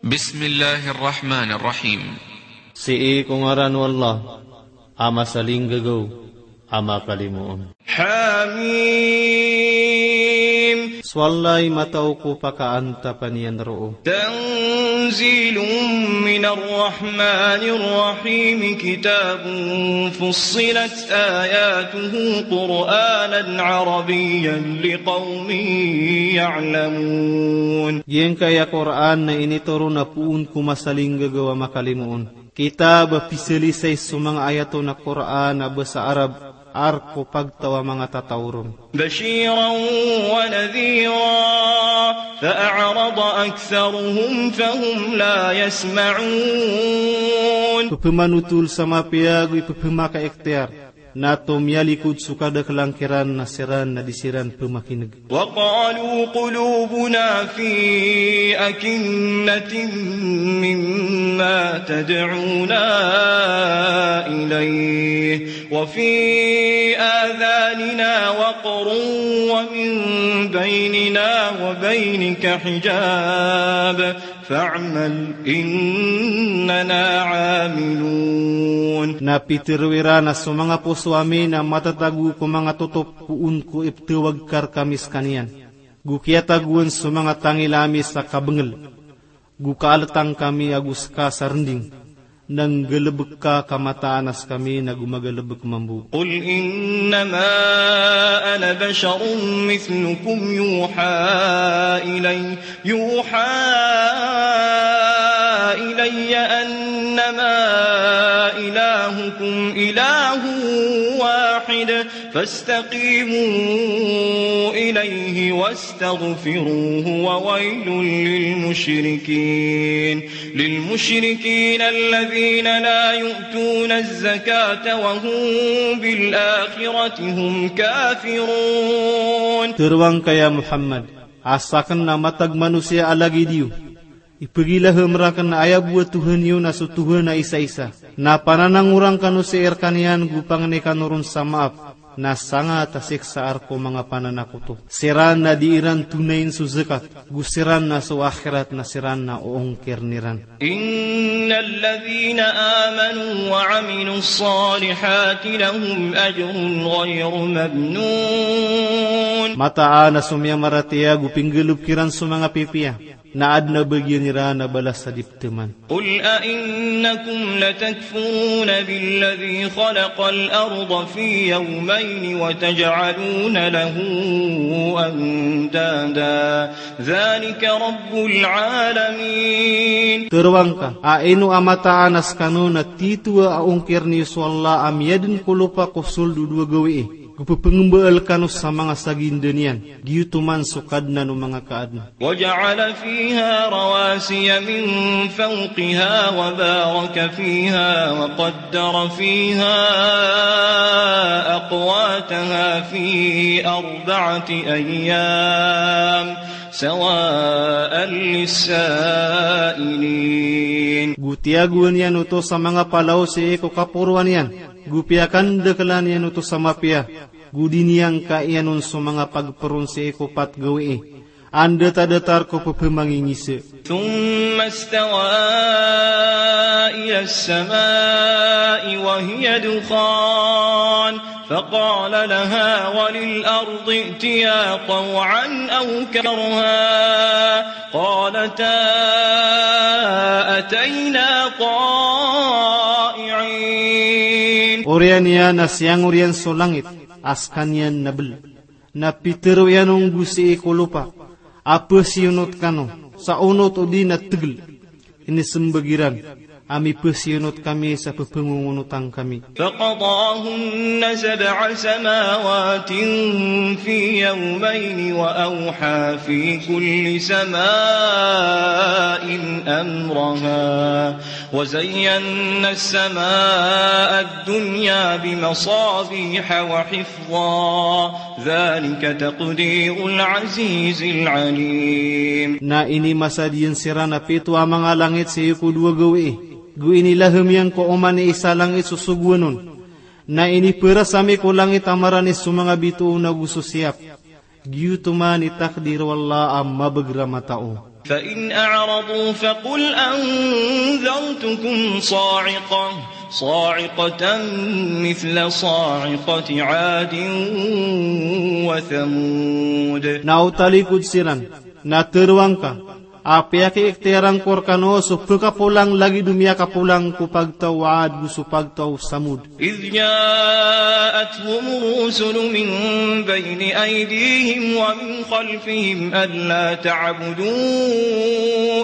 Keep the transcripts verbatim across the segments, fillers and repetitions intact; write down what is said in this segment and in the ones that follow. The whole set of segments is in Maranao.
Bismillahir Rahmanir Rahim. Sii ko ngaran o Allah, a masalinggagaw, a makalimoon. Hamim. So Allah i matao ko pakaantapan iyan roo. Tanzilun minar Rahmanir Rahim. Kitabun fussilat ayatuhu Qur'anan Arabiyyan liqawmin ya'lamun. Giyangkaya Qur'an na initoron a poon ko masalinggagaw a makalimoon. Kitab a pisalisay so manga ayat on a Qur'an a basa Arab, a rk o pagtaw a manga tataw ron. Bashiran wa nadhira, fa a'rada aktharuhum fahum la yasma'un. Pephamanotol sa mapiya ago i pephamakaikhtiyar. Na tomiyalikod so kadaklan kiran na siran na di siran pemakineg. Wa qalu qulubuna fi akinnatin mimma tad'una ilayh, wa fi adhanina waqrun wa min baynina wa baynika hijab. Fa'mal innana 'amilun. Na pitharo iran a so manga poso ami na matatago ko manga totop poon ko ipthawag ka rkami skaniyan. Go kiyatagoan so manga tangila ami sa kabengel. Go kaaltang kami ago ska sa rending. Na nggalebek ka ka mataan a skami na go magalebek mambo. Qul innama ana basharun mithlukum yuha ilay, yuha ilayya annama ilahukum ilahun wahid, fastaqimu ilayhi wastaghfiruhu wa waylun lil mushrikin. Lil mushrikina alladhina la yu'tuna az-zakata wa hum bil akhirati hum kafirun. Tharoang ka ya Muhammad, a saken na matag manosiya a lagid iyo. Ipegilahem raken a aya bo a Tohan iyo na so Tohan a isaisa. Na pananangorang kano sii rekaniyan go pangni kano ron sa maap. Na sangat a siksa a rk o manga pananakoto. Siran na di iran tonayin so zakat, go siran na so akhirat na siran na oongkiren iran. Innal ladhina amanu wa 'amilus salihati lahum ajrun ghayru mamnun. Mataan a so miyamaratiyaya go pinggalebek iran so manga pipiya. Na aden a bagian iran a balas a di pteman. Qul a innakum latakfuruna billadhi khalaqal arda fi yawmayni wa taj'aluna lahu andada. Dhalika rabbul alamin. Tharoang ka, a ino a mataan a skano na titho a ongkiren iyo so Allah a miyaden ko lopa ko sold o dowa gawii. Go pepengembaal kano sa manga saginda niyan. Giyoto man so Kadnan o manga kaadn. Wa ja'ala fiha rawasiya min fawqiha wa baraka fiha wa qaddara fiha aqwataha fi arba'ati ayyam sawa'an lis-sa'ilin. Go tiyagoan iyan oto sa manga palaw sii ko kaporoan iyan. Go piyakandakelan iyan oto sa mapiya. Go di niyan kaiyan on so manga pagperon sii ko pat gawii. Anda tadatar ko pepemangingisa. Thumma istawa ilas sama'i wa hiya dukhan. Faqala laha wa lil ardi i'tiya taw'an aw karha. Qalata atayna ta'i'in. Oriyan iyan a siyangoriyan so langit a skaniyan na bel. Na pitharo iyan on go sii ko lopa a pesiyonot kano sa onot odi na tegel. Inisembag iran a mipesiyonot kami sa pepengongonotan kami. Faqadahunna sab'a samawatin fi yawmayni wa awha fi kulli sama'in amraha wa zayyanna as-sama'a ad-dunya bi masabiha wa hifdha. Dhalika taqdirul azizil alim. Na inimasad iyan siran a pito a manga langit sii ko dowa gawii. Go inilahem iyan ko oman i isa langit so sogoan on. Na iniperas ami ko langit a maranis so manga bitoon ago so siyap. Giyoto man i takdir o Allah a mabagr a matao. فإن أعرضوا فقل أنذرتكم صاعقة، صاعقة مثل صاعقة عاد وثمود. Na o talikod siran, na tharoang ka a piyakiikhtiyar angko rkano so pkapolang lagid o miyakapolang ko pagtaw Ad go so pagtaw Samud. إذ جاءتهم الرسل من بين أيديهم ومن خلفهم ألا تعبدوا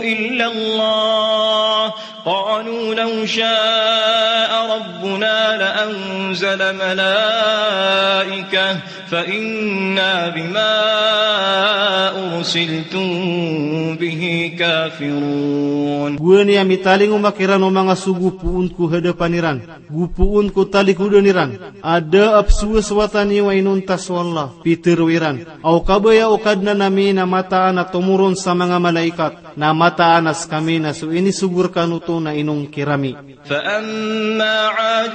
إلا الله قالوا لو شاء ربنا لأنزل ملائكة فإنا بما أرسلتم به كافرون. Gowani a mitalingoma kiran o manga sogo poon ko hadapan iran, go poon ko talikodan iran, a da a pzowasowatan iyo a inonta so Allah. Pitharo iran a o kabaya o Kadnan ami na mataan a tomoron sa manga malaikat, na mataan a skami na so inisogo rkano oto na inongkir ami. فأما عاد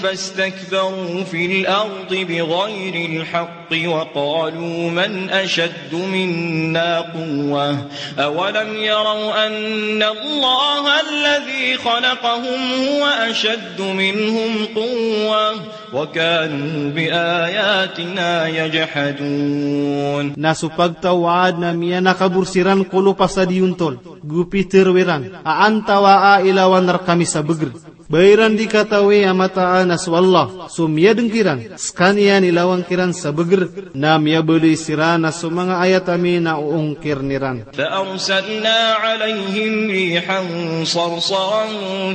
فاستكبروا في الأرض بغير الحق وقالوا من أشد منا قوة أولم يروا أن الله الذي خلقهم هو أشد منهم قوة وكانوا بآياتنا يجحدون. Na so pagtaw Ad na miyanakabor siran ko lopa sa diyontol, go pitharo iran a antawaa i lawan rkami sa bagr. Ba iran di katawi a mataan a so Allah so miyadng kiran, skaniyan i lawan kiran sa bagr, na miyabalay siran a so manga ayat ami na oongkirn iran. فأرسلنا عليهم ريحا صرصرا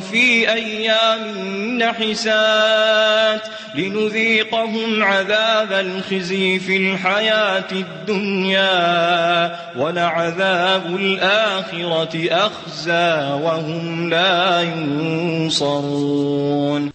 في أيام نحسات لنذيقهم عذاب الخزي في الحياة الدنيا ولعذاب الآخرة أخزى وهم لا ينصرون.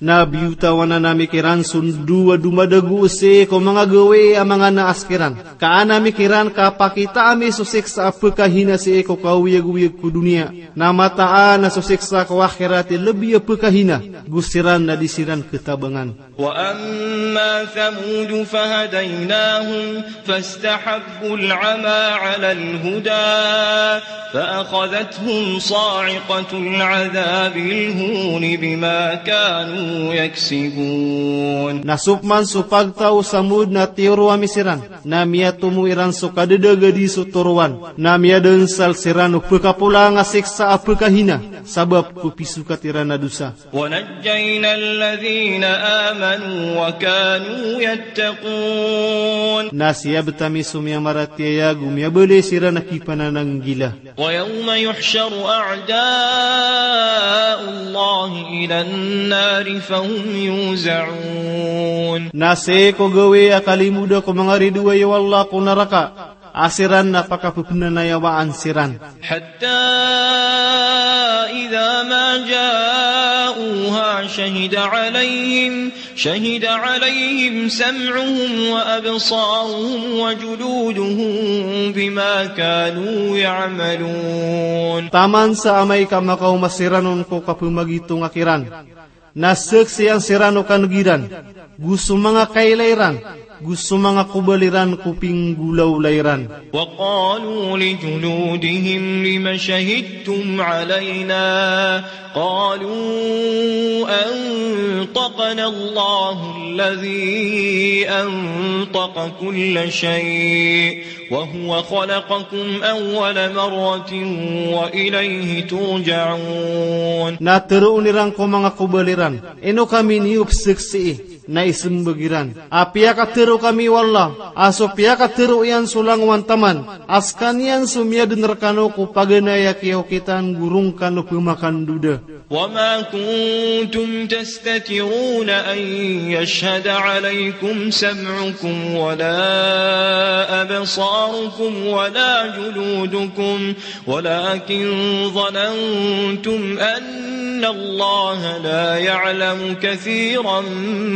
Na biyotawan ami kiran so ndo a domadagos sii ko manga gawii a manga naas kiran. Ka an ami kiran kapakitaa mi so siksa a pkhahina sii ko kaoyagoyag ko doniya. Na mataan a so siksa ko akhirat i lbi a pkhahina, go siran na di siran khatabangan. وأما ثمود فهديناهم فاستحبوا العمى على الهدى فأخذتهم صاعقة العذاب الهون بما كانوا يكسبون. Na so pman so pagtaw Samud na tiyoro ami siran, na miyatomo iran so kadadagadi so torowan, na miyadansal siran o pkapolang a siksa a pkhahina, sabap ko pisokat iran a dosa. ونجينا الذين آمنوا وكانوا يتقون. Na siyabt ami so miyamaratiyaya go miyabalay siran a kipanananggila. ويوم يحشر أعداء الله إلى النار فهم يوزعون. Na sii ko gawii a kalimoda ko manga ridoay o Allah ko naraka, a siran na pakapepnanayawaan siran. حتى إذا ما جاءوها شهد عليهم، شهد عليهم سمعهم وأبصارهم وجلودهم بما كانوا يعملون. Taman sa amay ka makaoma siran on ko kapemagitonga kiran, na saksian siran o kaneg iran, go so manga kailay ran, go so manga kobal iran ko pinggolawla iran. وقالوا لجلودهم لم شهدتم علينا؟ قالوا أنطقنا الله الذي أنطق كل شيء وهو خلقكم أول مرة وإليه ترجعون. Na tharoon iran ko manga kobal iran, ino kami niyo pzaksii? Na ismbag iran a piyakatharo kami o Allah a so piyakatharo iyan so langowan taman, a skaniyan so miyadn rkano ko paganay a kiyaokitan go roo ngka o pmakandoda. وما كنتم تستترون أن يشهد عليكم سمعكم ولا أبصاركم ولا جلودكم ولكن ظننتم أن الله لا يعلم كثيرا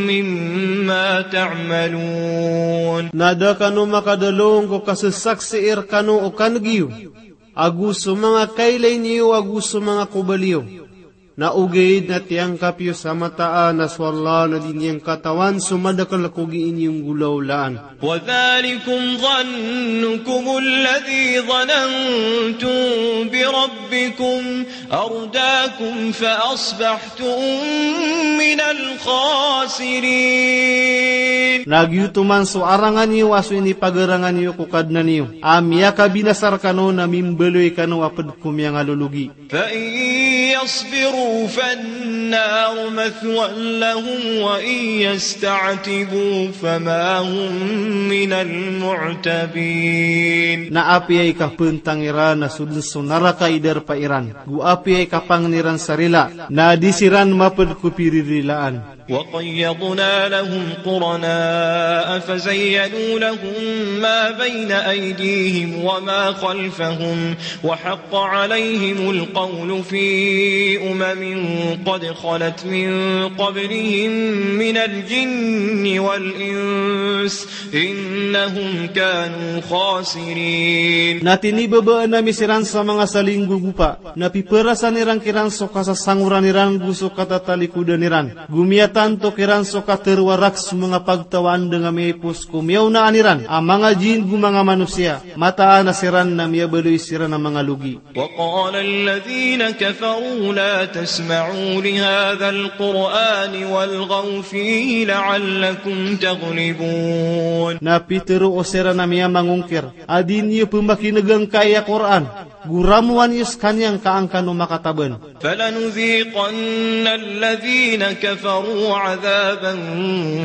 مما تعملون. Na da kano makadalong ko kasasaksii rkano o kaneg iyo, ago so manga kailay niyo ago so manga kobal iyo. Na ogaid na tiyangkap iyo sa mataan a so Allah na di niyan katawan so madakel ko gii niyo nggolawlaan. وذلكم ظنكم الذي ظننتم بربكم أرداكم فأصبحتم من الخاسرين. Na giyoto man so arangan iyo a so inipagarangan iyo ko Kadnan iyo a miyakabinasa rekano na mimbaloy kano a ped ko miyangalologi. فإن يصبروا فالنار مثوى لهم وإن يستعتبوا فما هم من المعتبين. Na apiya i kapentang iran na so den so naraka i darpa iran, go apiya i kapangni ran sa rila, na di siran maped ko piririlaan. وقيضنا لهم قرناء فزينوا لهم ما بين أيديهم وما خلفهم وحق عليهم القول في أمم قد خلت من قبلهم من الجن والإنس إنهم كانوا خاسرين. Na tinibabaan ami siran sa manga salinggogopa, na piperasan iran kiran so kasasangoran iran go so katatalikodan iran. Go miyatanto kiran so katerowarak so manga pagtaw a anda nga miyaipos ko miyaonaan iran a manga jin go manga manosiya. Mataan a siran na miyabaloy siran a manga logi. وقال الذين كفروا لا تسمعوا لهذا القرآن والغوا فيه لعلكم تغلبون. Na pitero o siran a miyamangongkir a di niyo pemakinegangkai a Qur'an, go ramowan iyo sekaniyan ka an kano makataban. فلنذيقن الذين كفروا عذابا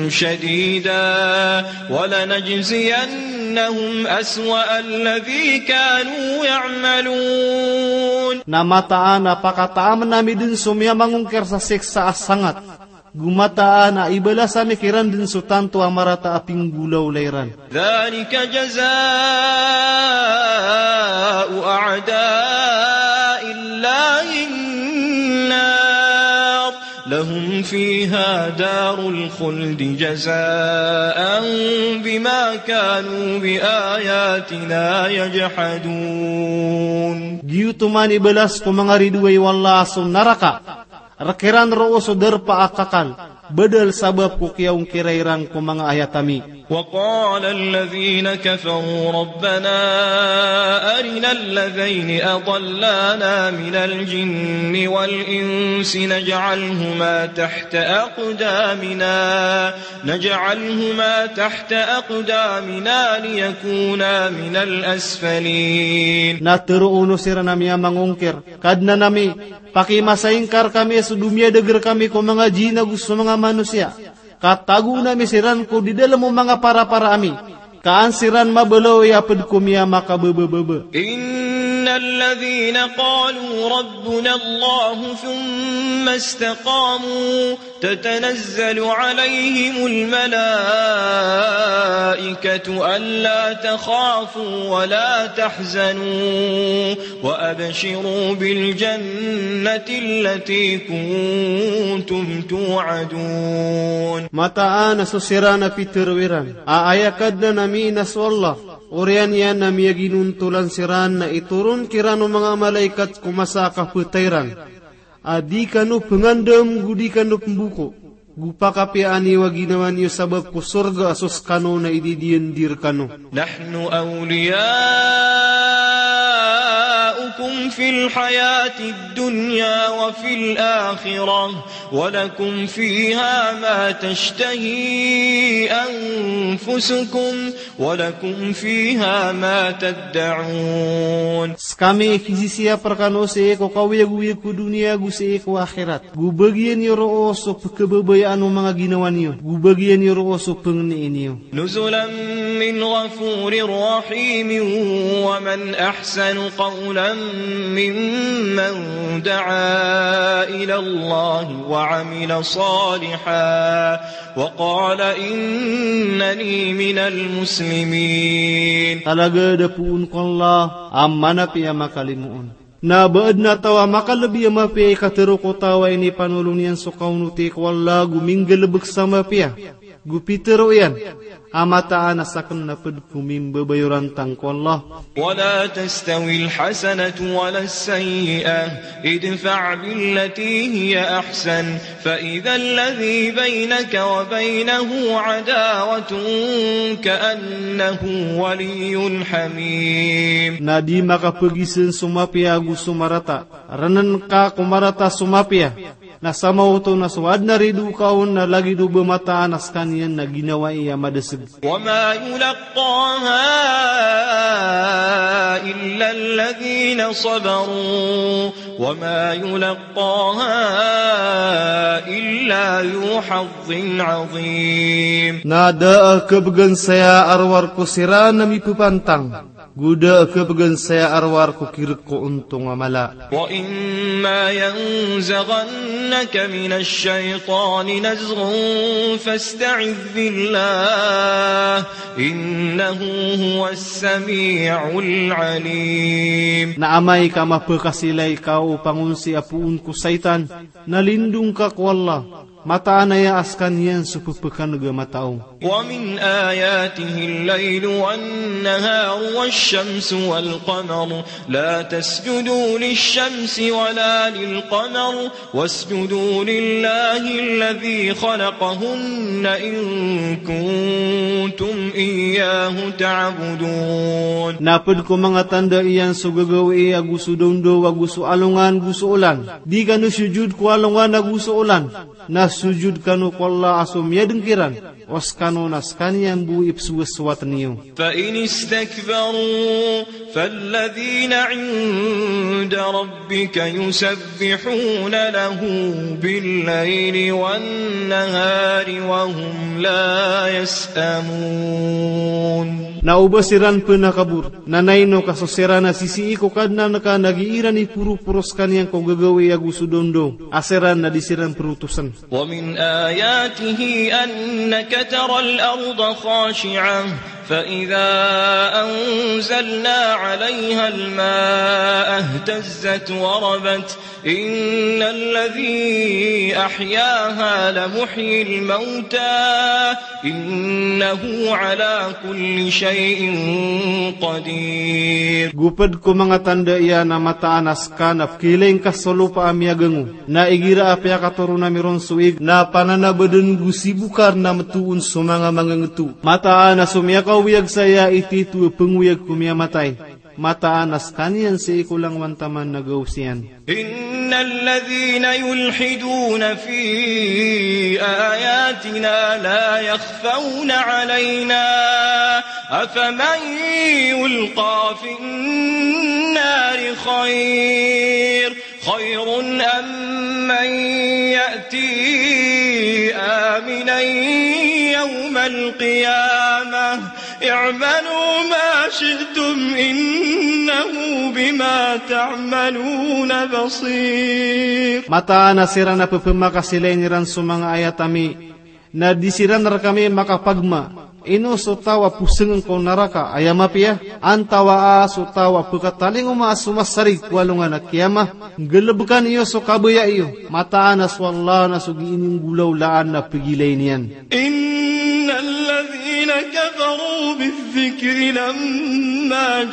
شديدا ولنجزينهم أسوأ الذي كانوا يعملون. Na mataan a pakataamn ami den so miyamangongkir sa siksa a sangat. Go mataan a ibalas ami kiran den so tanto a marata a pinggolawla iran. ذلك جزاء أعداء الله النار لهم فيها دار الخلد جزاء بما كانوا بآياتنا يجحدون. Giyoto man i balas ko manga ridoay o Allah a so naraka. Rekiran roo so darpa a kakal, badal sabap ko kiyaongkira iran ko manga ayat ami. وقال الذين كفروا ربنا أرنا الذين أضلانا من الجن والإنس نجعلهما تحت أقدامنا، نجعلهما تحت أقدامنا ليكونا من الأسفلين. Na tero o siran a miyamangongkir, Kadnan ami, pakimasaingkar kami so domiyadag rekami ko manga jin ago so manga manosiya. Ka tagoon ami siran ko di dalem o manga parapara ami. Ka an siran mabaloy a ped ko miyamakababababa. إن الذين قالوا ربنا الله ثم استقاموا تتنزل عليهم الملائكة ألا تخافوا ولا تحزنوا وأبشروا بالجنة التي كنتم توعدون. Mataan a so siran a pitero iran a aya Kadnan ami na so Allah, oriyan iyan a miyaginontolan siran na itoron kiran o manga malaikat ko masa a kapetay ran. A di kano pengandam go di kano pemboko, go pakapiyaan iyo a ginawa niyo sabap ko sorga a so sekano na ididiyan di rekano. نحن أولياؤكم في الحياة الدنيا وفي الآخرة ولكم فيها ما تشتهي أنفسكم ولكم فيها ما تدعون. Sekami i kisisiyap rekano sii ko kaoyagoyag ko doniya go sii ko akhirat. Go bagian iyo roo so pekebabayaan o manga ginawa niyo. Go bagian iyo roo so pengenii niyo. نزلا من غفور رحيم ومن أحسن قولا ممن دعا إلى الله وعمل صالحا وقال إنني من المسلمين. Talagad a poon ko Allah a manapiya a makalimoon. Na ba aden a taw a makalebi a mapiya i katero ko taw a inipanolon iyan so kaonoti ko Allah go minggalebek sa mapiya. Go pitharo iyan a mataan a sakn na pd ko mimbabayorantang ko Allah. ولا تستوي الحسنة ولا السيئة ادفع بالتي هي أحسن فإذا الذي بينك وبينه عداوة كأنه ولي حميم. Na di makapagizn so mapiya ago so marata. Rnn ka ko marata so mapiya. Na samaoto na so adn a ridoay ka on na lagid o ba mataan a skaniyan na ginawai a madasg. وما يلقاها إلا الذين صبروا وما يلقاها إلا ذو حظ عظيم. Na da a khabgan saya a rowar ko siran a mipapantang. Go da a khabgan saya a rowar ko kirk ko ontong a mala. وإما ينزغنك من الشيطان نزغ فاستعذ بالله إنه هو السميع العليم. Na amay ka mapakasilay ka o pangonsi a poon ko shaytan, na lindong ka ko Allah. Mataan aya a skaniyan so pphakan'g a matao. ومن آياته الليل والنهار والشمس والقمر لا تسجدوا للشمس ولا للقمر واسجدوا لله الذي خلقهن إن كنتم إياه تعبدون. Na pd ko manga tanda iyan so gagawii ago so dawndaw ago so alongan go so olan. Di kano sujud ko alongan ago so olan. Na sujud kano ko Allah a so miyadng kiran, o skano na skaniyan bo i pzowasowat niyo. فإن استكبروا فالذين عند ربك يسبحون له بالليل والنهار وهم لا يسأمون. Na o ba siran pn a kabor, na naino ka so siran a sisii ko Kadnan ka na gii iran i poroporo skaniyan ko gagawii ago so dawndaw, a siran na di siran protosn. ومن آياته أنك ترى الأرض خاشعة فإذا أنزلنا عليها الماء اهتزت وربت إن الذي أحياها لمحيي الموتى إنه على كل شيء قدير. Go pd ko manga tanda iyan a mataan a ska na pkhailay ngka so lopa a miyagango. Na igira a piyakatoron ami ron so ig, na pananabadn go sibokar na mtoon so manga mangangto. Mataan a so miyakaoyag saya i tito a pngoyag ko miyamatay. Mataan a skaniyan sii ko langowan taman na gawos iyan. إن الذين يلحدون في آياتنا لا يخفون علينا أفمن يلقى في النار خير خير أم من يأتي آمنا يوم القيامة اعملوا ما شئتم إنه بما تعملون بصير. Mataan a siran a pphamakasilay iran so manga ayat ami, na di siran rkami makapagma. Ino so taw a posngn ko naraka, aya mapiya? Antawaa so taw a pkhatalingoma a so masarig ko alongan a kiyamah? Nggalbkan iyo so kabaya iyo. Mataan a so Allah na so gii inggolawlaan na pgilay niyan. إن الذين كفروا بالذكر لما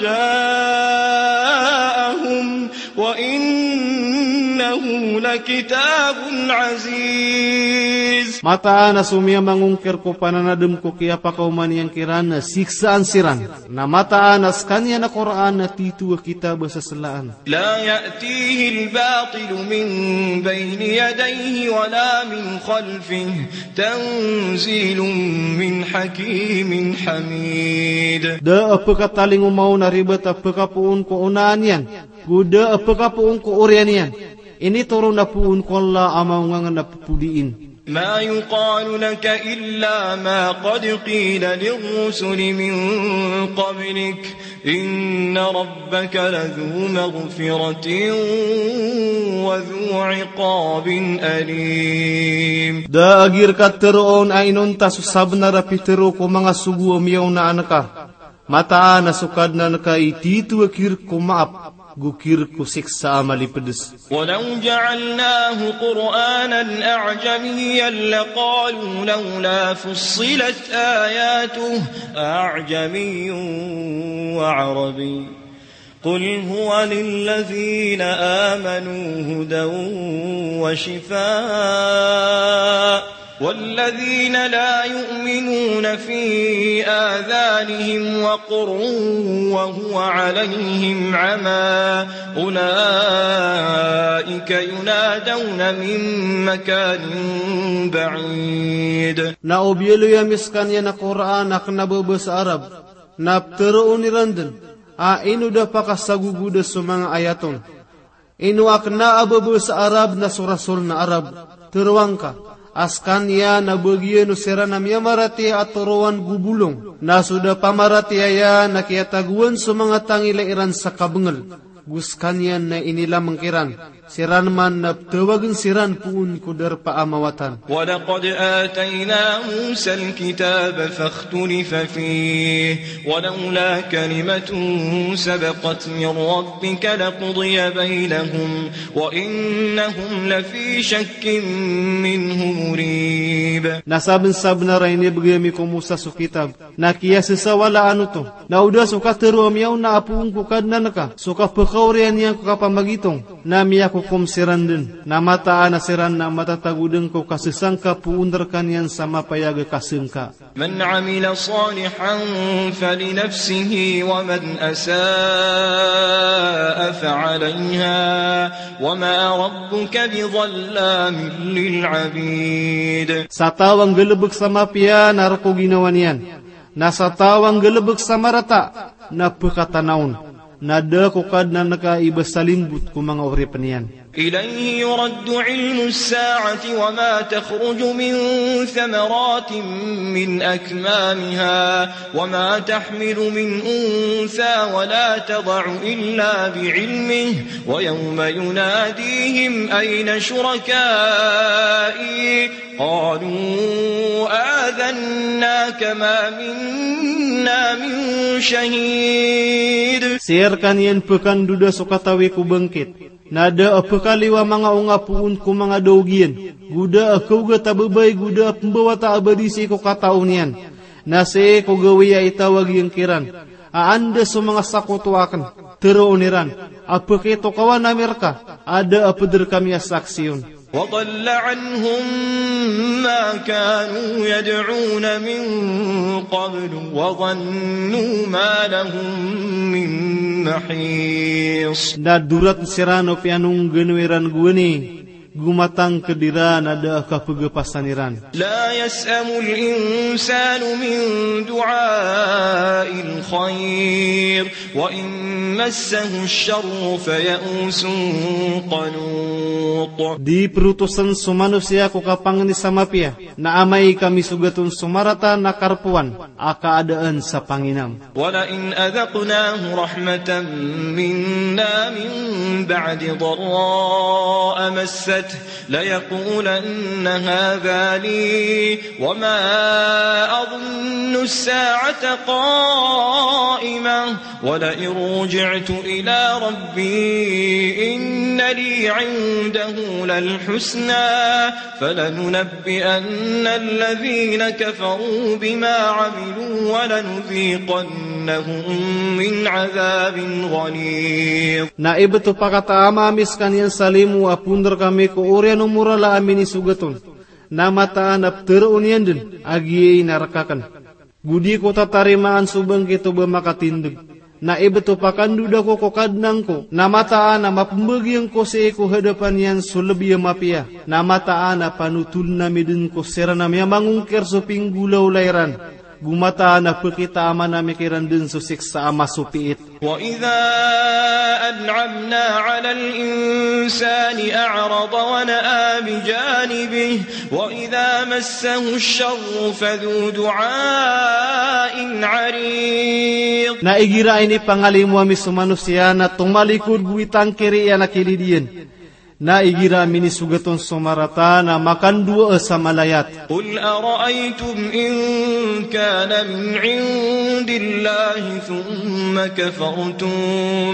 جاءهم وإنه لكتاب عزيز. Mataan a so miyamangongkir ko pananadm ko kiyapakaoma niyan kiran na siksaan siran. Na mataan a skaniyan a Qur'an na tito a kitab a saslaan. لا يأتيه الباطل من بين يديه ولا من خلفه تنزيل من حكيم حميد. Da a pkhatalingoma on a ribat a pkhapoon ko onaan iyan, go da a pkhapoon ko oriyan iyan. Initoron a poon ko Allah a maongangn a ppodiin. ما يقال لك إلا ما قد قيل للرسل من قبلك إن ربك لذو مغفرة وذو عقاب أليم. Da a gii rka tharoon a inonta so sabnar a pitharo ko manga sogo a miyaonaan ka. Mataan a so Kadnan ka i tito a kirk ko maap. gokir ko siksa a malipds. ولو جعلناه قرآنا أعجميا لقالوا لولا فصلت آياته أعجمي وعربي قل هو للذين آمنوا هدى وشفاء والذين لا يؤمنون في آذانهم وقر وهو عليهم عمى أولئك ينادون من مكان بعيد. Na o biyaloy ami skaniyan a Qur'an a kna a babasa Arab, na ptharoon iran dn a ino da pakasagogoda so manga ayat on. Ino a kna a babasa Arab na so rasol na Arab. Tharoa ngka a skaniyan na bagian o siran a miyamaratiyaya a toroan go bolong, na so da pamaratiyaya na kiyatagoan so manga tangila iran sa kabngl. Go skaniyan na inilamang kiran, siran man na pthawagn siran poon ko darpa a mawatan. ولقد آتينا موسى الكتاب فاختلف فيه ولولا كلمة سبقت من ربك لقضي بينهم وإنهم لفي شك منه مريب. Na sabnsabnar a inibgay ami ko Musa so kitab, na kiyasasawalaan oto. Na o da so katharo a miyaona a poon ko Kadnan ka, so kapkaoriyan iyan ko kapamagitong, na miyakokom siran dn. Na mataan a siran na matatago dn ko kasasangka poon rkaniyan sa mapayag a kasangka. من عمل صالحا فلنفسه ومن أساء فعليها وما ربك بظلام للعبيد. Sa taw a nggalbk sa mapiya na rk o ginawa niyan. Na sa taw a nggalbk sa marata na pkatana on. Na da ko Kadnan ka i ba sa limbot ko manga oripn iyan. إليه يرد علم الساعة وما تخرج من ثمرات من أكمامها وما تحمل من أنثى ولا تضع إلا بعلمه ويوم يناديهم أين شركائي قالوا آذناك ما منا من شهيد. Sii rkaniyan pkandoda so katawi ko bangkit. Na da a pkaliyo a manga onga poon ko manga daog iyan, go da a kaogat a babay, go da a pmbawata a badi sii ko katao niyan. Na sii ko gawii a itawag iyan kiran a anda so manga sakoto akn. Tharoon iran a pkitokawan ami rka a da a pd rkami a saksi on. وضل عنهم ما كانوا يدعون من قبل وظنوا ما لهم من محيص. Na dorat siran o piyanonggano iran gowani, go matangkd iran a da a kapgapasan iran. لا يسأم الإنسان من دعاء الخير وإن مسه الشر فيئوس قنوط. Di protosn so manosiya ko kapangni sa mapiya, na amay ka misogat on so marata na karpowan a kaadaan sa panginam. ولئن أذقناه رحمة منا من بعد ضراء مسته ليقولن هذا لي وما أظن الساعة قائمة ولئن رجعت إلى ربي إن لي عنده للحسنى فلننبئن الذين كفروا بما عملوا ولنذيقنهم من عذاب غليظ. Na ibt o pakataama ami skaniyan sa limo a pondr kami ko oriyan o morala a minisogat on. Na mataan a ptharoon iyan dn a giyai na rk akn. Go di ko tatarimaan so bangkit o ba makatindg. Na ibt o pakandoda ko ko Kadnan ko, na mataan a mapmbagiyang ko sii ko hadapan iyan so lbi a mapiya. Na mataan a panotoln ami dn ko siran a miyamangongkir so pinggolawla iran. Go mataan a pkitaaman ami kiran dn so siksa a masopiit. وإذا أنعمنا على الإنسان أعرض ونأى بجانبه وإذا مسه الشر فذو دعاء عريض. Na igira inipangalimo ami so manosiya na tomalikod go itangkiri iyan a kilid iyan. Na igira a minisogat on so marata na makandowa sa malayat. قل أرأيتم إن كان من عند الله ثم كفرتم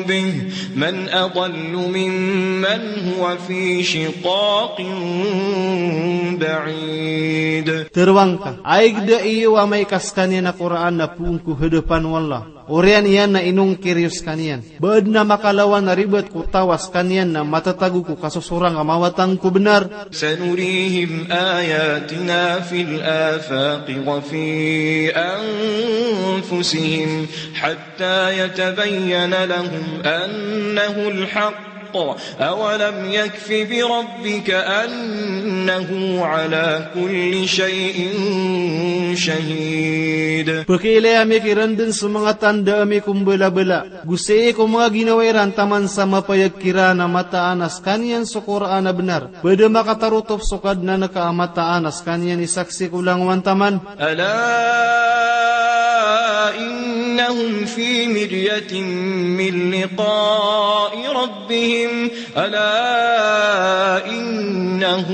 به من أضل ممن هو في شقاق بعيد. Tharoang ka, aya da iyo amay ka skaniyan a Qur'an na poon ko hadapan o Allah, oriyan iyan na inongkir iyo skaniyan, ba adn a makalawan a ribat ko taw a skaniyan na matatago ko kasosorang a mawatang ko bnar. سنريهم آياتنا في الآفاق وفي أنفسهم حتى يتبين لهم أنه الحق أولم يكف بربك أنه على كل شيء شهيد. Pkhailay ami kiran dn so manga tanda ami ko mbalabala, go sii ko manga ginawa iran taman sa mapayag kiran a mataan a skaniyan so Qur'an a bnar. Ba da makatarotop so Kadnan ka a mataan a skaniyan i saksi ko langowan taman. ألا إنهم في مرية من لقاء ربهم ألا إنه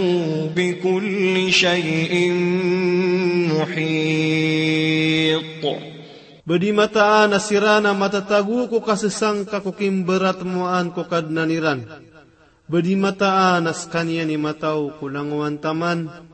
بكل شيء محيط. Ba di mataan a siran a matatago ko kasasangka ko kimbaratmoan ko Kadnan iran. Ba di mataan a skaniyan i mataw ko langowan taman.